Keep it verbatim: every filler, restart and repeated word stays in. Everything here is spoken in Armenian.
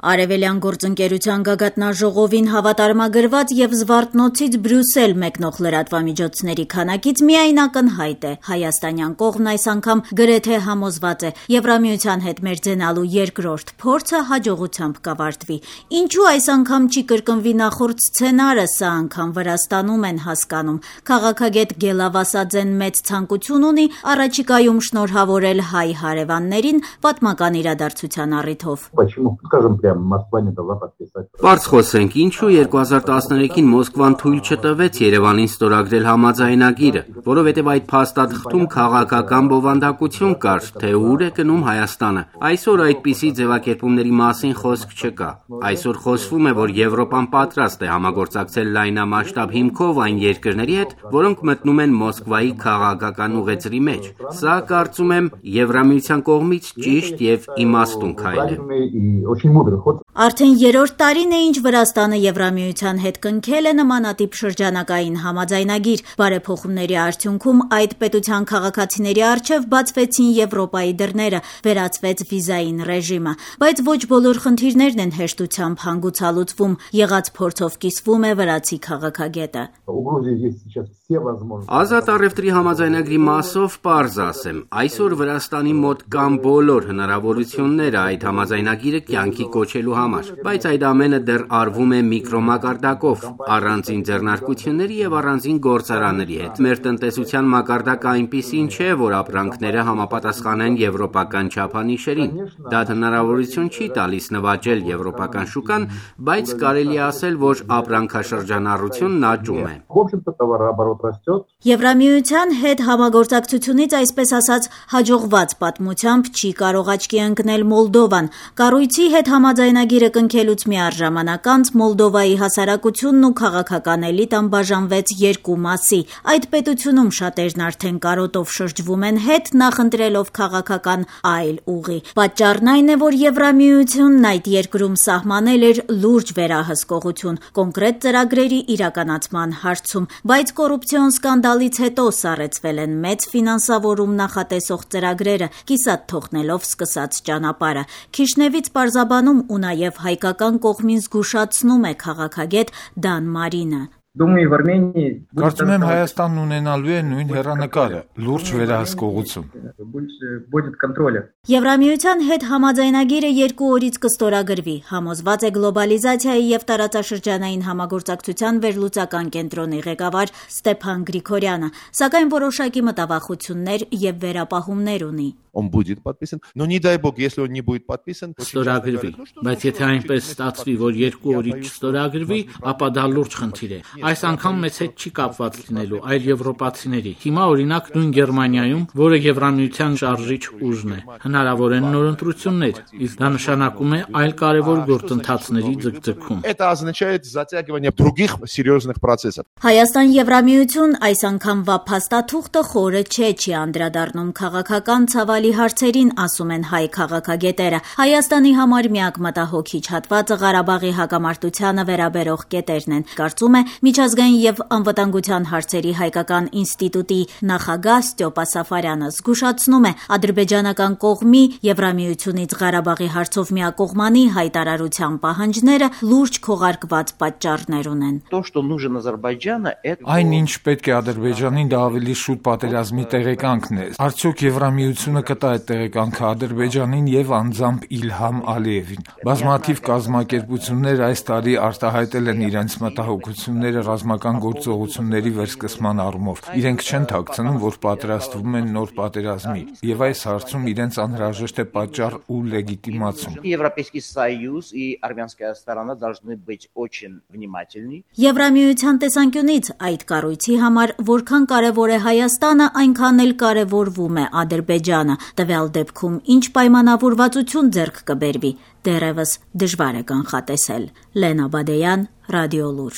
Արևելյան գործընկերության գագաթնաժողովին հավատարմագրված եւ Զվարթնոցից Բրյուսել մեկնող լրատվամիջոցների քանակից միայն ակնհայտ է. հայաստանյան կողմն այս անգամ գրեթե համոզված է Եվրամիության հետ մերձենալու երկրորդ փորձը հաջողությամբ կավարտվի։ Ինչու այս անգամ չի կրկնվի նախորդ սցենարը, սա անգամ Վրաստանում են հասկանում։ Քաղաքագետ Գելավասաձեն մեծ ցանկություն ունի առաջիկայում շնորհավորել հայ հարևաններին պատմական իրադարձության առիթով։ Պարզ խոսենք, ինչու երկու հազար տասներեքին Մոսկվան թույլ չտվեց Երևանին ստորագրել համաձայնագիրը, որովհետև այդ փաստաթղթում քաղաքական բովանդակություն կար, թե ուր է գնում Հայաստանը։ Այսօր այդպիսի ձևակերպումների մասին խոսք չկա։ Այսօր խոսվում է, որ Եվրոպան պատրաստ է համագործակցել լայնամասշտաբ հիմքով այն երկրների հետ, որոնք մտնում են Մոսկվայի քաղաքական ուղեծրի մեջ։ Սա, կարծում եմ, Եվրամիության կողմից ճիշտ եւ իմաստուն քայլ է։ Արդեն երրորդ տարին է, ինչ Վրաստանը Եվրամիության հետ կնքել է նմանատիպ շրջանակային համաձայնագիր։ Բարեփոխումների արդյունքում այդ պետության քաղաքացիների առջև բացվեցին Եվրոպայի դռները, վերացվեց վիզային ռեժիմը։ Բայց ոչ բոլոր խնդիրներն են հեշտությամբ հանգուցալուծվում, եղած փորձով կիսվում է վրացի քաղաքագետը։ Ազատ առևտրի համաձայնագրի մասով պարզ ասեմ, այսօր Վրաստանի մոտ կան բոլոր հնարավորությունները այդ համաձայնագիրը կյանքի կոչելու համար, բայց այդ ամենը դեռ արվում է միկրոմակարդակով, առանձին ձեռնարկությունների եւ առանձին գործարանների հետ։ Մեր տնտեսության մակարդակը այնպիսին չէ, որ ապրանքները համապատասխանեն եվրոպական չափանիշերին։ Դա հնարավորություն չի տալիս նվաճել եվրոպական շուկան, բայց կարելի է ասել, որ ապրանքաշրջանառությունն աճում է։ Եվրամիության հետ համագործակցությունից, այսպես ասած, հաջողված պատմությամբ չի կարող աչքի ընկնել Մոլդովան։ Կառույցի հետ համաձայնագիրը կնքելուց միառժամանակ անց Մոլդովայի հասարակությունն ու քաղաքական էլիտան բաժանվեց երկու մասի։ Այդ պետությունում շատերն արդեն կարոտով շրջվում են հետ, նախընտրելով քաղաքական այլ ուղի։ Պատճառն այն է, որ Եվրամիությունն այդ երկրում սահմանել էր լուրջ վերահսկողություն կոնկրետ ծրագրերի իրականացման հարցում, բայց կոռուպցիոն սկանդալից հետո սառեցվել են մեծ ֆինանսավորում նախատեսող ծրագրերը, կիսատ թողնելով սկսած ճանապարհը։ Քիշնևից պարզաբանում ու նաև հայկական կողմին զգուշացնում է քաղաքագետ Դան Մարինը։ Կարծում եմ Հայաստանն ունենալու է նույն հեռանկարը՝ լուրջ վերահսկողություն։ Եվրամիության հետ համաձայնագիրը երկու օրից կստորագրվի, համոզված է գլոբալիզացիայի եւ տարածաշրջանային համագործակցության վերլուծական կենտրոնի ղեկավար Ստեփան Գրիգորյանը, սակայն որոշակի մտավախություններ եւ վերապահումներ ունի։ Он будет подписан, но не дай бог, если он не будет подписан, ստորագրվի, բայց եթե այնպես ստացվի, որ երկու օրից չստորագրվի, ապա դա լուրջ խնդիր է։ Այս անգամ մեծ հետ չի կապված լինելու, այլ եվրոպացիների։ Հիմա օրինակ նույն Գերմանիայում, որը Եվրամիության շարժիչ ուժն է, հնարավոր են նոր ընտրություններ, իսկ դա նշանակում է այլ կարևոր գործընթացների ձգձգում։ Это означает затягивание других серьезных процессов։ Հայաստան-Եվրամիություն այս անգամվա փաստաթուղթը խորը չէ, չի անդրադառնում քաղաքական ցավալի հարցերին, ասում են հայ քաղաքագետերը։ Հայաստանի համար միակ մտահոգիչ հատվածը Ղարաբաղի հակամարտությանը վերաբերող կետերն են, կարծում է Միջազգային եւ անվտանգության հարցերի հայկական ինստիտուտի նախագահ Ստյոպա Սաֆարյանը։ Զգուշացնում է ադրբեջանական կողմի Եվրամիությունից Ղարաբաղի հարցով միակողմանի հայտարարության պահանջները լուրջ քողարկված պատճառներ ունեն։ Այն, ինչ պետք է Ադրբեջանին, դա ավելի շուտ պատերազմի տեղեկանքն է։ Արդյոք Եվրամիությունը կտա այդ տեղեկանքը Ադրբեջանին եւ անձամբ Իլհամ Ալիևին։ Բազմաթիվ կազմակերպություններ այս տարի արտահայտել են իրենց մտահոգությունները ռազմական գործողությունների վերսկսման առումով։ Իրենք չեն թաքցնում, որ պատրաստվում են նոր պատերազմի, եւ այս հարցում իրենց անհրաժեշտ է պատճառ ու լեգիտիմացում։ Եվրամիության տեսանկյունից այդ կառույցի համար որքան կարևոր է Հայաստանը, այնքան էլ կարևորվում է Ադրբեջանը։ Տվյալ դեպքում ինչ պայմանավորվածություն ձեռք կբերվի, դեռևս դժվար է կանխատեսել։ Լենա Բադեյան, Ռադիոլուր։